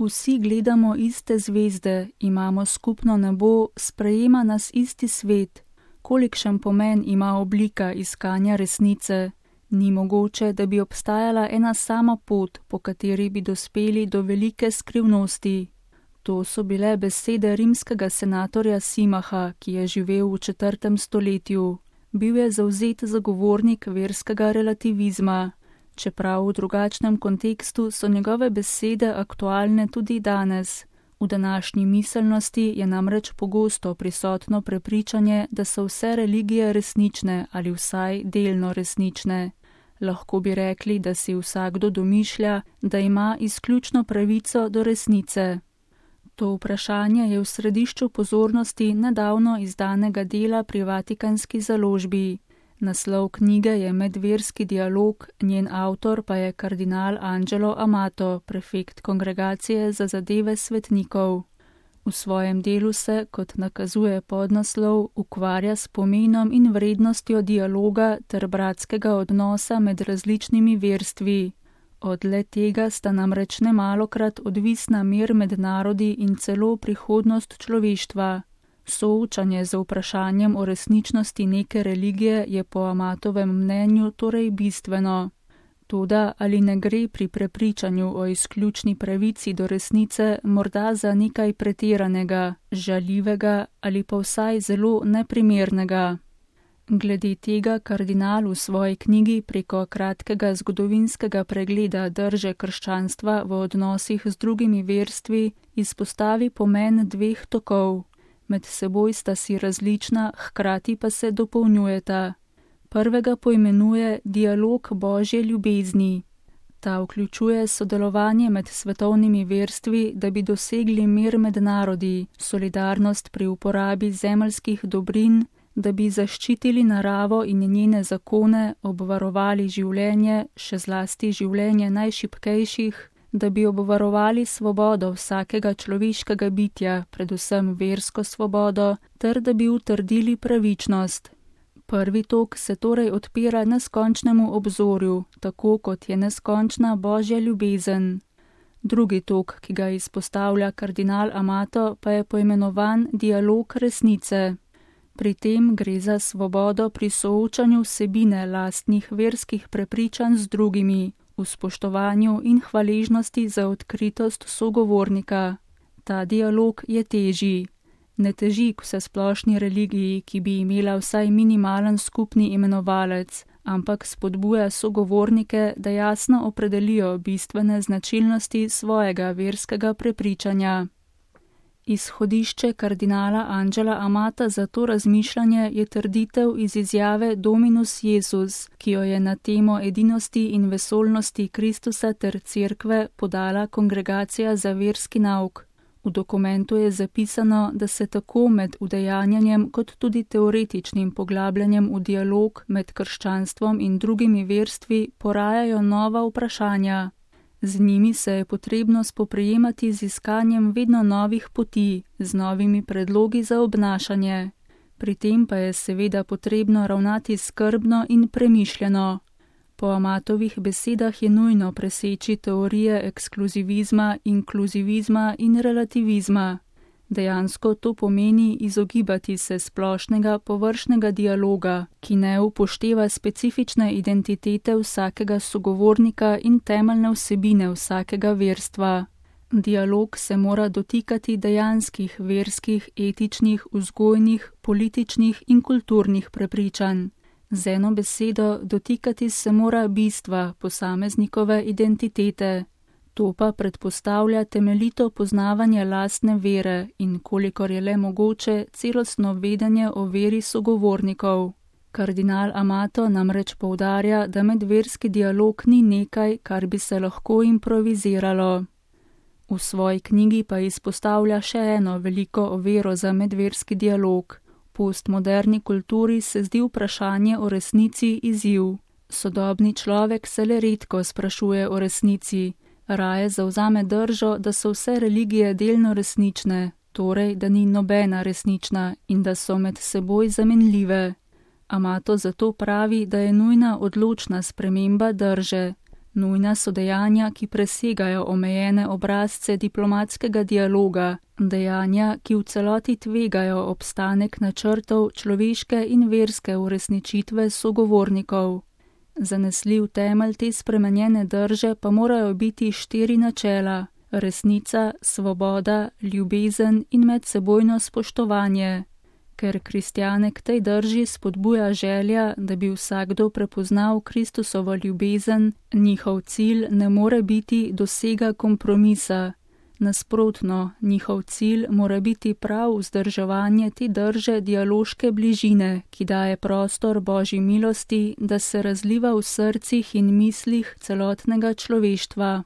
Vsi gledamo iste zvezde, imamo skupno nebo, sprejema nas isti svet. Kolikšen pomen ima oblika iskanja resnice? Ni mogoče, da bi obstajala ena sama pot, po kateri bi dospeli do velike skrivnosti. To so bile besede rimskega senatorja Simaha, ki je živel v 4. stoletju. Bil je zavzet zagovornik verskega relativizma. Čeprav v drugačnem kontekstu so njegove besede aktualne tudi danes. V današnji miselnosti je namreč pogosto prisotno prepričanje, da so vse religije resnične ali vsaj delno resnične. Lahko bi rekli, da si vsakdo domišlja, da ima izključno pravico do resnice. To vprašanje je v središču pozornosti nedavno izdanega dela pri Vatikanski založbi. Naslov knjige je Medverski dialog, njen avtor pa je kardinal Angelo Amato, prefekt Kongregacije za zadeve svetnikov. V svojem delu se, kot nakazuje podnaslov, ukvarja s pomenom in vrednostjo dialoga ter bratskega odnosa med različnimi verstvi. Od le tega sta namreč nemalokrat odvisna mir med narodi in celo prihodnost človeštva. Soočanje z vprašanjem o resničnosti neke religije je po Amatovem mnenju torej bistveno. Toda ali ne gre pri prepričanju o izključni pravici do resnice morda za nekaj pretiranega, žaljivega ali pa vsaj zelo neprimernega? Glede tega kardinal v svoji knjigi preko kratkega zgodovinskega pregleda drže krščanstva v odnosih z drugimi verstvi izpostavi pomen dveh tokov. Med seboj sta si različna, hkrati pa se dopolnjujeta. Prvega poimenuje dialog Božje ljubezni. Ta vključuje sodelovanje med svetovnimi verstvi, da bi dosegli mir med narodi, solidarnost pri uporabi zemeljskih dobrin, da bi zaščitili naravo in njene zakone, obvarovali življenje, še zlasti življenje najšibkejših, da bi obvarovali svobodo vsakega človeškega bitja, predvsem versko svobodo, ter da bi utrdili pravičnost. Prvi tok se torej odpira neskončnemu obzorju, tako kot je neskončna Božja ljubezen. Drugi tok, ki ga izpostavlja kardinal Amato, pa je poimenovan dialog resnice. Pri tem gre za svobodo pri soočanju vsebine lastnih verskih prepričanj z drugimi, v spoštovanju in hvaležnosti za odkritost sogovornika. Ta dialog je težji. Ne teži k vsesplošni religiji, ki bi imela vsaj minimalen skupni imenovalec, ampak spodbuja sogovornike, da jasno opredelijo bistvene značilnosti svojega verskega prepričanja. Izhodišče kardinala Angela Amata za to razmišljanje je trditev iz izjave Dominus Jesus, ki jo je na temo edinosti in vesolnosti Kristusa ter Cerkve podala Kongregacija za verski nauk. V dokumentu je zapisano, da se tako med udejanjanjem kot tudi teoretičnim poglabljanjem v dialog med krščanstvom in drugimi verstvi porajajo nova vprašanja. Z njimi se je potrebno spoprijemati z iskanjem vedno novih poti, z novimi predlogi za obnašanje. Pri tem pa je seveda potrebno ravnati skrbno in premišljeno. Po Amatovih besedah je nujno preseči teorije ekskluzivizma, inkluzivizma in relativizma. Dejansko to pomeni izogibati se splošnega površnega dialoga, ki ne upošteva specifične identitete vsakega sogovornika in temeljne vsebine vsakega verstva. Dialog se mora dotikati dejanskih verskih, etičnih, vzgojnih, političnih in kulturnih prepričanj. Z eno besedo, dotikati se mora bistva posameznikove identitete. To pa predpostavlja temeljito poznavanje lastne vere in, kolikor je le mogoče, celostno vedenje o veri sogovornikov. Kardinal Amato namreč poudarja, da medverski dialog ni nekaj, kar bi se lahko improviziralo. V svoji knjigi pa izpostavlja še eno veliko oviro za medverski dialog. V postmoderni kulturi se zdi vprašanje o resnici izziv. Sodobni človek se le redko sprašuje o resnici. Raje zavzame držo, da so vse religije delno resnične, torej, da ni nobena resnična in da so med seboj zamenljive. Amato zato pravi, da je nujna odločna sprememba drže. Nujna so dejanja, ki presegajo omejene obrazce diplomatskega dialoga, dejanja, ki v celoti tvegajo obstanek načrtov človeške in verske uresničitve sogovornikov. Zanesljiv temelj te spremenjene drže pa morajo biti 4 načela: resnica, svoboda, ljubezen in medsebojno spoštovanje. Ker kristjane k tej drži spodbuja želja, da bi vsakdo prepoznal Kristusovo ljubezen, njihov cilj ne more biti dosega kompromisa. Nasprotno, njihov cilj mora biti prav vzdrževanje te drže dialoške bližine, ki daje prostor Božji milosti, da se razliva v srcih in mislih celotnega človeštva.